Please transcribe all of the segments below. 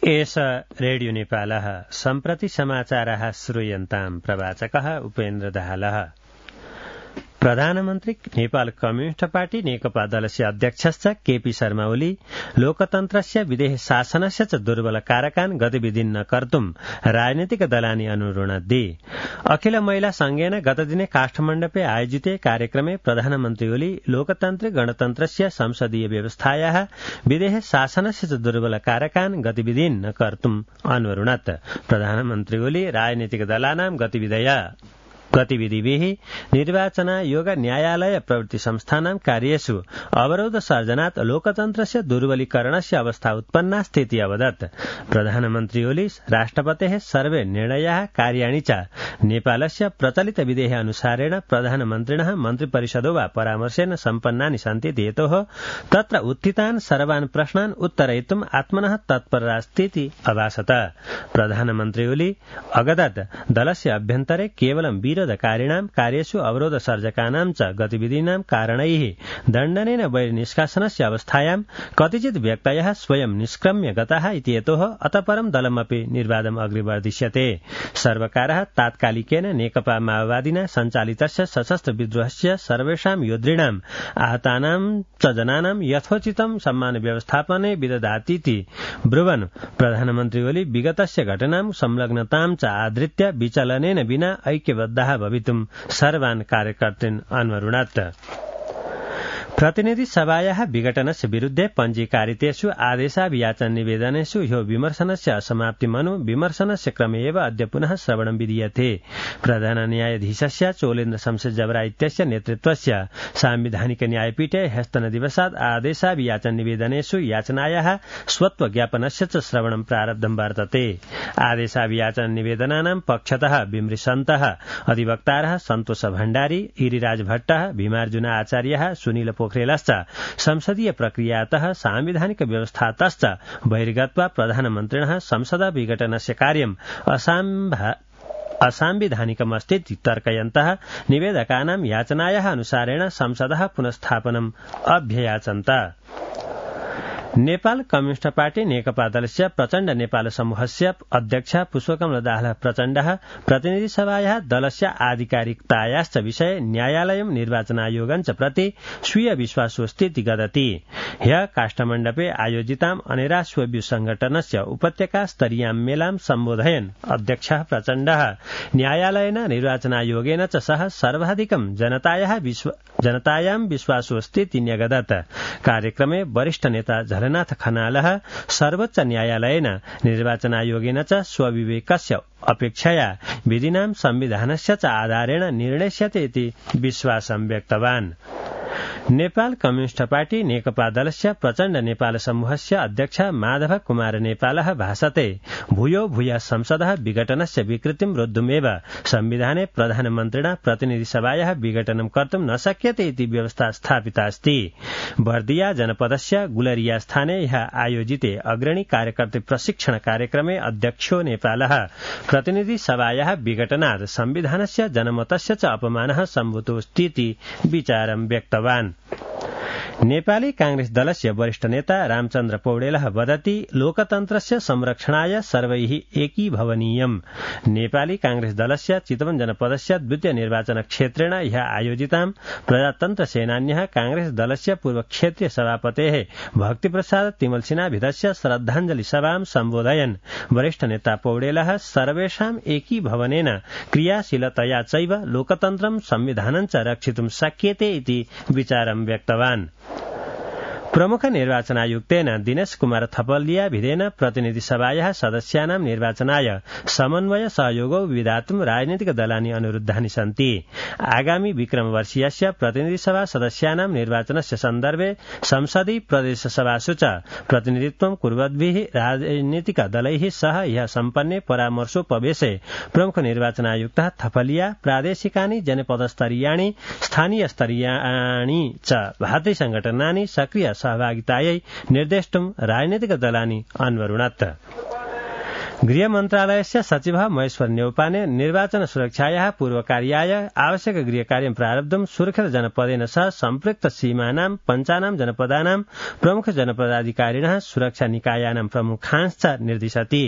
एष रेडियो नेपालः सम्प्रति समाचारः श्रूयन्ताम् प्रवाचकः उपेन्द्र दाहालः। प्रधानमन्त्री नेपाल कम्युनिस्ट पार्टी नेकपा दलस्य अध्यक्षश्च केपी शर्मा ओली लोकतन्त्रस्य विदेह शासनस्य च दुर्बल कारकान् गतिविधिन् न कर्तुम् राजनीतिक दलानि अनुरुणद्धि। अखिल महिला संघेन गतदिने काठमाण्डुपे आयोजिते कार्यक्रमे प्रधानमन्त्री ओली लोकतान्त्रिक गणतन्त्रस्य संसदीय व्यवस्थायाः विदेह शासनस्य च दुर्बल कारकान् गतिविधिन् न कर्तुम् अनुरुणत्। प्रधानमन्त्री ओली राजनीतिक दलानां गतिविधिभिः निर्वाचनायोग न्यायालय प्रवृत्ति संस्थानां कार्येषु अवरोध सर्जनात् लोकतन्त्रस्य दुर्बलीकरणस्य अवस्था उत्पन्ना स्थिति अवदत्। प्रधानमन्त्री ओली राष्ट्रपतेः सर्वे निर्णयाः कार्याणि च नेपालस्य प्रचलित विधेः अनुसारेण प्रधानमन्त्रिणः मन्त्रिपरिषदो वा परामर्शेन सम्पन्नानि सन्ति हेतोः तत्र उत्थितान् सर्वान् प्रश्नान् उत्तरयितुम् आत्मनः तत्परास्तीति अभासत। प्रधानमन्त्री ओली अगदत् दलस्य अभ्यन्तरे केवलं विरोधकारिणां कार्येषु अवरोध सर्जकानां च गतिविधीनां कारणैः दण्डनेन बहिर्निष्कासनस्य अवस्थायां कतिचित् व्यक्तयः स्वयं निष्क्रम्य गताः इति हेतोः अतः परं दलमपि निर्वादम् अग्रे वर्धिष्यते। सर्वकारः तात्कालिकेन नेकपा माओवादिना सञ्चालितस्य सशस्त्र विद्रोहस्य सर्वेषां योद्धॄणाम् आहतानां च जनानां यथोचितं सम्मान व्यवस्थापने विदधातीति ब्रुवन् प्रधानमन्त्री ओली विगतस्य घटनां संलग्नतां च आधृत्य विचलनेन विना ऐक्यबद्धाः भवितुम् सर्वान् कार्यकर्तॄन् अनुरुणत्। प्रतिनिधि सभायाः विघटनस्य विरुद्धे पञ्जीकारितेषु आदेशाभियाचन निवेदनेषु ह्यो विमर्शनस्य असमाप्तिमनु विमर्शनस्य क्रमे एव अद्य पुनः श्रवणं विधीयते। प्रधान न्यायाधीशस्य चोलेन्द्र शमशेर जबरा इत्यस्य नेतृत्वस्य साम्विधानिक न्यायपीठे ह्यस्तनदिवसात् आदेशाभियाचन निवेदनेषु याचनायाः स्वत्व ज्ञापनस्य च श्रवणं प्रारब्धं वर्तते। आदेशाभियाचन निवेदनानां पक्षतः विमृशन्तः अधिवक्तारः सन्तोष भण्डारी, गिरिराज भट्टः, भीमार्जुन आचार्यः, सुनील पोखरेलश्च संसदीय प्रक्रियातः सांविधानिक व्यवस्थातश्च बहिर्गत्वा प्रधानमन्त्रिणः संसद विघटनस्य कार्यम् असंविधानिकमस्तीति तर्कयन्तः निवेदकानां याचनायाः अनुसारेण संसदः पुनस्थापनम् अभ्ययाचन्त। नेपाल कम्युनिस्ट पार्टी नेकपा दलस्य प्रचण्ड नेपाल समूहस्य अध्यक्ष पुष्पकमल दाहाल प्रचण्डः प्रतिनिधि सभायाः दलस्य आधिकारिकतायाश्च विषये न्यायालयं निर्वाचनायोगञ्च प्रति स्वीय विश्वासोस्तीति गदति। ह्यः काठमाण्डुपे आयोजिताम् अनेरा स्वव्यू संघटनस्य उपत्यका स्तरीयां मेलां सम्बोधयन् अध्यक्षः प्रचण्डः न्यायालयेन निर्वाचनायोगेन च सह सर्वाधिकं जनतायां विश्वासोस्तीति न्यगदत्। कार्यक्रमे वरिष्ठ नेता झलनाथ खनालः सर्वोच्च न्यायालयेन निर्वाचनायोगेन च स्वविवेकस्य अपेक्षया विधिनां संविधानस्य च आधारेण निर्णेष्यते इति विश्वासं व्यक्तवान्। नेपाल कम्युनिस्ट पार्टी नेकपा दलस्य प्रचण्ड नेपाल समूहस्य अध्यक्ष माधव कुमार नेपालः भाषते भूयो भूयः संसदः विघटनस्य विकृतिं रोद्धुमेव संविधाने प्रधानमन्त्रिणा प्रतिनिधि सभायाः विघटनं कर्तुं न शक्यते इति व्यवस्था स्थापिता अस्ति। बर्दिया जनपदस्य गुलरिया स्थाने ह्यः आयोजिते अग्रणी कार्यकर्तृ प्रशिक्षण कार्यक्रमे अध्यक्षो नेपालः प्रतिनिधि सभायाः विघटनात् संविधानस्य जनमतस्य च अपमानः सम्भूतोऽस्तीति विचारं व्यक्तवान्। नेपाली कांग्रेस दलस्य वरिष्ठ नेता रामचन्द्र पौडेलः वदति लोकतन्त्रस्य संरक्षणाय सर्वैः एकीभवनीयम्। नेपाली कांग्रेस दलस्य चितवन जनपदस्य द्वितीय निर्वाचन क्षेत्रेण ह्यः आयोजितां प्रजातन्त्र सेनान्यः कांग्रेस दलस्य पूर्व क्षेत्रीय सभापतेः भक्तिप्रसाद तिमल सिन्हाभिधस्य श्रद्धाञ्जलि सभां सम्बोधयन् वरिष्ठ नेता पौडेलः सर्वेषाम् एकीभवनेन क्रियाशीलतया चैव लोकतन्त्रं संविधानं च रक्षितुं शक्यते इति विचारं व्यक्तवान्। प्रमुख निर्वाचनायुक्तेन दिनेश कुमार थपलिया भिदेन प्रतिनिधि सभायाः सदस्यानां निर्वाचनाय समन्वय सहयोगौ विधातुं राजनीतिक दलानि अनुरुद्धानि सन्ति। आगामी विक्रमवर्षीयस्य प्रतिनिधि सभा सदस्यानां निर्वाचनस्य सन्दर्भे संसदीय प्रदेश सभासु च प्रतिनिधित्वं कुर्वद्भिः राजनीतिक दलैः सह ह्यः सम्पन्ने परामर्शोपवेशे प्रमुख निर्वाचनायुक्तः थपलिया प्रादेशिकानि जनपदस्तरीयाणि स्थानीयस्तरीयाणि च भातृ संघटनानि सक्रिय सहभागितायै निर्देष्टुं राजनीतिक दलानि अन्वरुणत्। गृह मन्त्रालयस्य सचिवः महेश्वर न्यौपाने निर्वाचन सुरक्षायाः पूर्वकार्याय आवश्यक गृहकार्यं प्रारब्धुं सुरक्षित जनपदेन सह सम्पृक्त सीमानां पञ्चानां जनपदानां प्रमुख जनपदाधिकारिणः सुरक्षा निकायानां प्रमुखांश्च निर्दिशति।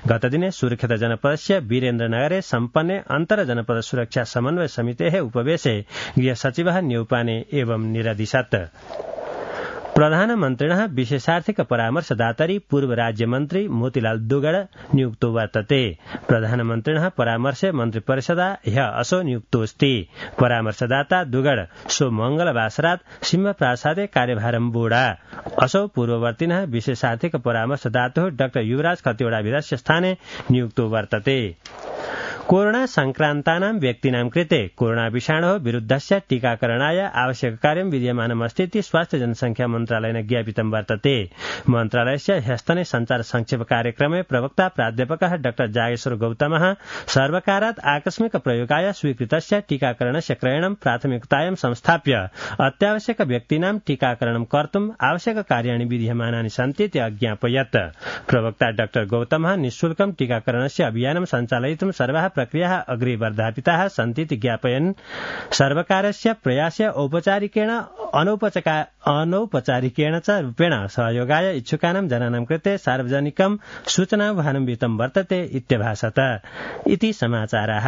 गतदिने सुरक्षित जनपदस्य वीरेन्द्रनगरे सम्पन्ने अन्तर जनपद सुरक्षा समन्वय समितेः उपवेशे गृह सचिवः न्यौपाने एवं निरदिशत्। प्रधानमन्त्रिणः विशेषार्थिक परामर्शदातरि पूर्व राज्यमन्त्री मोतीलाल दुगड़ नियुक्तो वर्तते। प्रधानमन्त्रिणः परामर्शे मन्त्रिपरिषदा ह्य असौ नियुक्तोऽस्ति। परामर्शदाता दुगड़ सो मंगलवासरात् सिंहप्रासादे कार्यभारं वोढा। असौ पूर्ववर्तिनः विशेषार्थिक परामर्शदातुः डॉ युवराज खतिवड़ाभिधस्य स्थाने नियुक्तो वर्तते। कोरोना संक्रान्तानां व्यक्तीनां कृते कोरोना विषाणोः विरुद्धस्य टीकाकरणाय आवश्यक कार्यं विद्यमानमस्ति इति स्वास्थ्य जनसंख्या मन्त्रालयेन ज्ञापितं वर्तते। मन्त्रालयस्य ह्यस्तने संचार संक्षेप कार्यक्रमे प्रवक्ता प्राध्यापकः डॉ जागेश्वर गौतमः सर्वकारात् आकस्मिक प्रयोगाय स्वीकृतस्य टीकाकरणस्य क्रयणं प्राथमिकतायां संस्थाप्य अत्यावश्यक व्यक्तीनां टीकाकरणं कर्तुम् आवश्यक कार्याणि विद्यमानानि सन्ति इति अज्ञापयत्। प्रवक्ता डॉ गौतमः निःशुल्कं टीकाकरणस्य अभियानं सञ्चालयितुं सर्वाः प्रक्रियाः अग्रे वर्धापिताः सन्ति इति ज्ञापयन् सर्वकारस्य प्रयासस्य औपचारिकेण अनौपचारिकेण च रूपेण सहयोगाय इच्छुकानां जनानां कृते सार्वजनिकं सूचनावाहनं विहितं वर्तते इत्यभासत। इति समाचाराः।